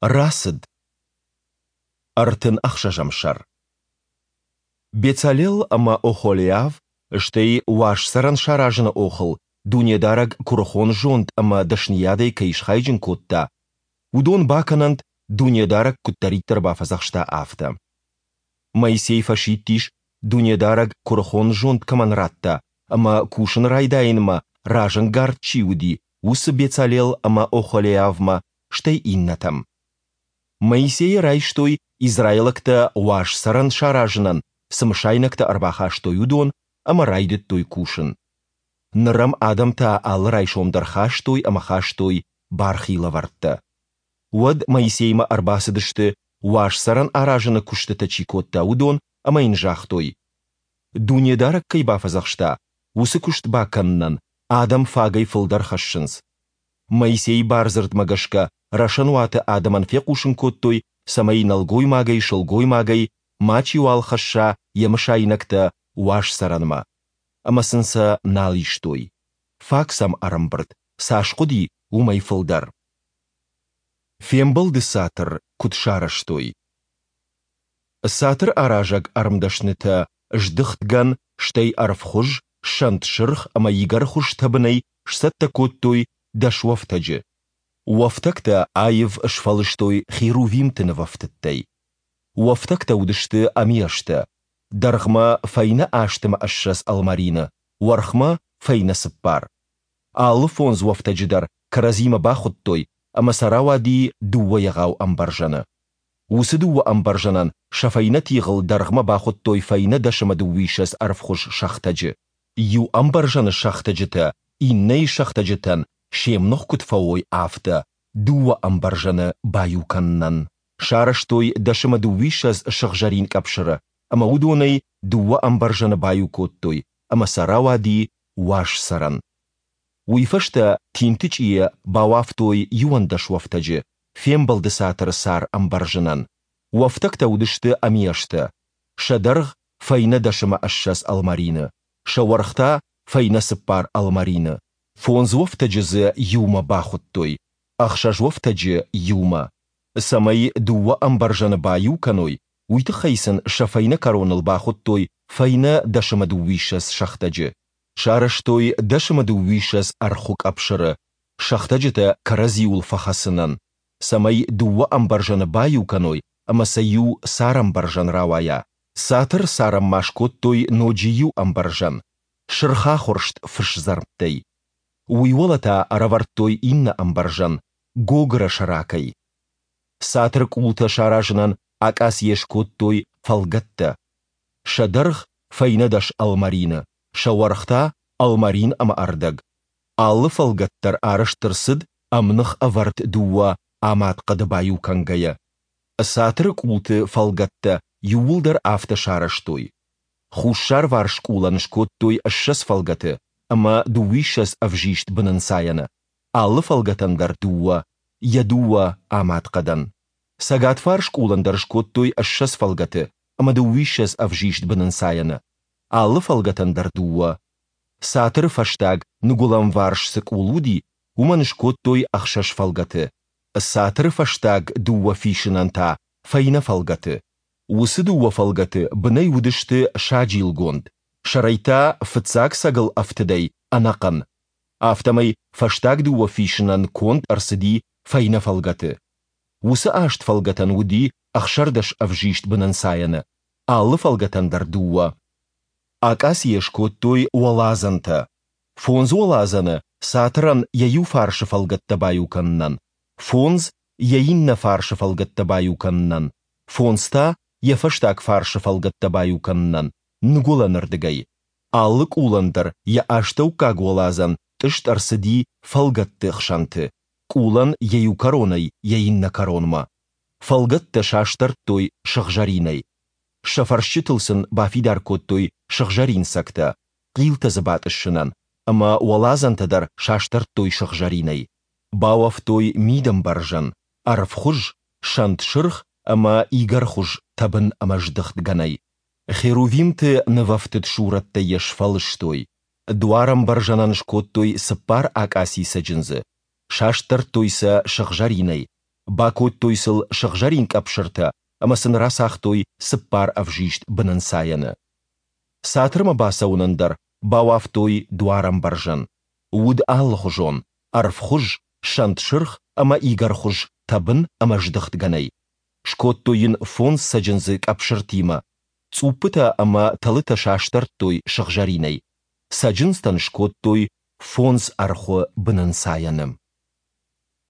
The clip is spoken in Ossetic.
Рацыд. Ӕртын ӕхсӕзӕм сӕр. Бецалел ӕмӕ Охолиав, стӕй уаз цӕрӕн саразыны охыл Дунедарӕг куырыхон зонд ӕмӕ дӕсныйадӕй кӕй схайджын кодта, уыдон бакӕнӕнт, Дунедарӕг куыддӕриддӕр бафӕдзӕхста, афтӕ. Моисей фӕсидтис, Дунедарӕг куырыхон зонд кӕмӕн радта ӕмӕ кусын райдайынмӕ разӕнгард чи уыди, уыцы Бецалел ӕмӕ Охолиавмӕ, стӕй иннӕтӕм. Моисейӕ райстой, израилӕгтӕ уаз цӕрӕн саразынӕн цы мысайнӕгтӕ ӕрбахастой, уыдон ӕмӕ райдыдтой кусын. Ныр ӕм адӕм та алы райсом дӕр хастой ӕмӕ хастой бархи лӕвӕрттӕ. Уӕд Моисеймӕ ӕрбацыдысты, уаз цӕрӕн аразыны куыстытӕ чи кодта, уыдон ӕмӕ йын загътой: Дунедарӕг кӕй бафӕдзӕхста, уыцы куыст бакӕнынӕн адӕм фагӕй фылдӕр хӕссынц. Моисейы бардзырдмӕ гӕсгӕ рӕсӕнуаты адӕмӕн фехъусын кодтой, цӕмӕй нӕлгоймагӕй-сылгоймагӕй мачиуал хӕсса йӕ мысайнӕгтӕ уаз цӕрӕнмӕ. Ӕмӕ сын сӕ нал истой. Фаг сӕм ӕрӕмбырд, цас хъуыди, уымӕй фылдӕр. Фембӕлды цатыр куыд сарӕзтой. Цатыр аразӕг ӕрмдӕснытӕ здыхт гӕн, стӕй ӕрвхуыз, сӕнт сырх ӕмӕ игӕрхуыз тӕбынӕй сцӕттӕ кодтой дӕс уӕфтӕджы. Уӕфтӕгтӕ аив сфӕлыстой херувимты нывӕфтыдтӕй. Уӕфтӕгтӕ уыдысты ӕмиӕстӕ, дӕргъмӕ фӕйнӕ 28 ӕлмӕрины, уӕрхмӕ фӕйнӕ цыппар. Алы фондз уӕфтӕджы дӕр кӕрӕдзимӕ бахуыдтой, ӕмӕ сӕ рауади дыууӕ егъау ӕмбӕрзӕны. Уыцы дыууӕ ӕмбӕрзӕнӕн сӕ фӕйнӕ тигъыл дӕргъмӕ бахуыдтой фӕйнӕ 10 ӕмӕ 22 ӕрвхуыз сӕхтӕджы. Иу ӕмбӕрзӕны сӕхтӕджытӕ иннӕйы сӕхтӕджытӕн се мных куыд фӕуой, афтӕ дыууӕ ӕмбӕрзӕны баиу кӕнынӕн сарӕзтой 10 ӕмӕ 22 сыгъзӕрин къӕпсыры ӕмӕ уыдонӕй дыууӕ ӕмбӕрзӕны баиу кодтой, ӕмӕ сӕ рауади уаз цӕрӕн. Уый фӕстӕ тинтычъийӕ бауӕфтой 11 уӕфтӕджы фембӕлды цатыры сӕр ӕмбӕрзынӕн. Уӕфтӕгтӕ уыдысты ӕмиӕстӕ. Сӕ дӕргъ фӕйнӕ 10 ӕмӕ 20 ӕлмӕрины, сӕ уӕрх та фӕйнӕ цыппар ӕлмӕрины. Фондз уӕфтӕджы дзы иумӕ бахуыдтой, ӕхсӕз уӕфтӕджы иумӕ. Цӕмӕй дыууӕ ӕмбӕрзӕны баиу кӕной, уый тыххӕй сын сӕ фӕйнӕ кӕроныл бахуыдтой фӕйнӕ 10 ӕмӕ 22 сӕхтӕджы. Сарӕзтой 10 ӕмӕ 22 ӕрхуы къӕпсыры, сӕхтӕджытӕ кӕрӕдзиуыл фӕхӕцынӕн, цӕмӕй дыууӕ ӕмбӕрзӕны баиу кӕной ӕмӕ сӕ иу царӕмбӕрзӕн рауайа. Цатыры царӕн ма скодтой ноджы иу ӕмбӕрзӕн, сырхахуырст фысдзӕрмттӕй. Уый уӕлӕ та ӕрӕвӕрдтой иннӕ ӕмбӕрзӕн, гогыры сӕракӕй. Цатыры къултӕ саразынӕн акъацийӕ скодтой фӕлгӕттӕ. Сӕ дӕргъ фӕйнӕ дӕс ӕлмӕрины, сӕ уӕрх та ӕлмӕрин ӕмӕ ӕрдӕг. Алы фӕлгӕт дӕр арӕзт ӕрцыд ӕмных ӕвӕрд дыууӕ амад хъӕды баиу кӕнгӕйӕ. Цатыры къулты фӕлгӕттӕ иууылдӕр афтӕ сарӕзтой. Хуссарварс къулӕн скодтой 20 фӕлгӕты ӕмӕ дыууиссӕдз ӕвзист бынӕнцайӕны, алы фӕлгӕтӕн дӕр дыууӕ, йӕ дыууӕ амад хъӕдӕн. Цӕгатварс къулӕн дӕр скодтой 20 фӕлгӕты ӕмӕ дыууиссӕдз ӕвзист бынӕнцайӕны, алы фӕлгӕтӕн дӕр дыууӕ. Цатыры фӕстаг ныгуылӕнварс цы къул уыди, уымӕн скодтой ӕхсӕз фӕлгӕты, цатыры фӕстаг дыууӕ фисынӕн та фӕйнӕ фӕлгӕты. Уыцы дыууӕ фӕлгӕты бынӕй уыдысты саджилгонд, сӕрӕй та фыццаг цӕгыл ӕфтыдӕй ӕнӕхъӕн. Афтӕмӕй фӕстаг дыууӕ фисынӕн конд ӕрцыди фӕйнӕ фӕлгӕты. Уыцы аст фӕлгӕтӕн уыди 16 ӕвзист бынӕнцайӕны, алы фӕлгӕтӕн дӕр дыууӕ. Акъацийӕ скодтой уӕладзӕнтӕ. Фондз уӕладзӕны цатырӕн йӕ иу фарсы фӕлгӕттӕ баиу кӕнынӕн, фондз йӕ иннӕ фарсы фӕлгӕттӕ баиу кӕнынӕн, фондз та йӕ фӕстаг фарсы фӕлгӕттӕ баиу кӕнынӕн, ныгуылӕнырдыгӕй. Алы къулӕн дӕр йӕ астӕуккаг уӕладзӕн тъыст ӕрцыди фӕлгӕтты хсӕнты, къулӕн йӕ иу кӕронӕй йӕ иннӕ кӕронмӕ. Фӕлгӕттӕ састӕрдтой сыгъзӕринӕй. Сӕ фӕрсчытыл сын бафидар кодтой сыгъзӕрин цӕгтӕ, хъилтӕ дзы батъыссынӕн, ӕмӕ уӕладзӕнтӕ дӕр састӕрдтой сыгъзӕринӕй. Бауӕфтой мидӕмбӕрзӕн, ӕрвхуыз, сӕнт сырх ӕмӕ игӕрхуыз тӕбын ӕмӕ здыхт гӕнӕй. Херувимты нывӕфтыд сурӕттӕй йӕ сфӕлыстой. Дуарӕмбӕрзӕнӕн скодтой цыппар акъаци цӕджындзы, састӕрдтой сӕ сыгъзӕринӕй. Бакодтой сыл сыгъзӕрин къӕпсыртӕ ӕмӕ сын рацагътой цыппар ӕвзист бынӕнцайӕны. Цатырмӕ бацӕуынӕн дӕр бауӕфтой дуарӕмбӕрзӕн. Уыд алыхуызон, ӕрвхуыз, сӕнтсырх ӕмӕ игӕрхуыз тӕбын ӕмӕ здыхт гӕнӕй. Скодтой йын фондз цӕджындзы къӕпсыртимӕ, цъуппытӕ ӕмӕ тӕлытӕ састӕрдтой сыгъзӕринӕй. Цӕджындзтӕн скодтой фондз ӕрхуы бынӕнцайӕны.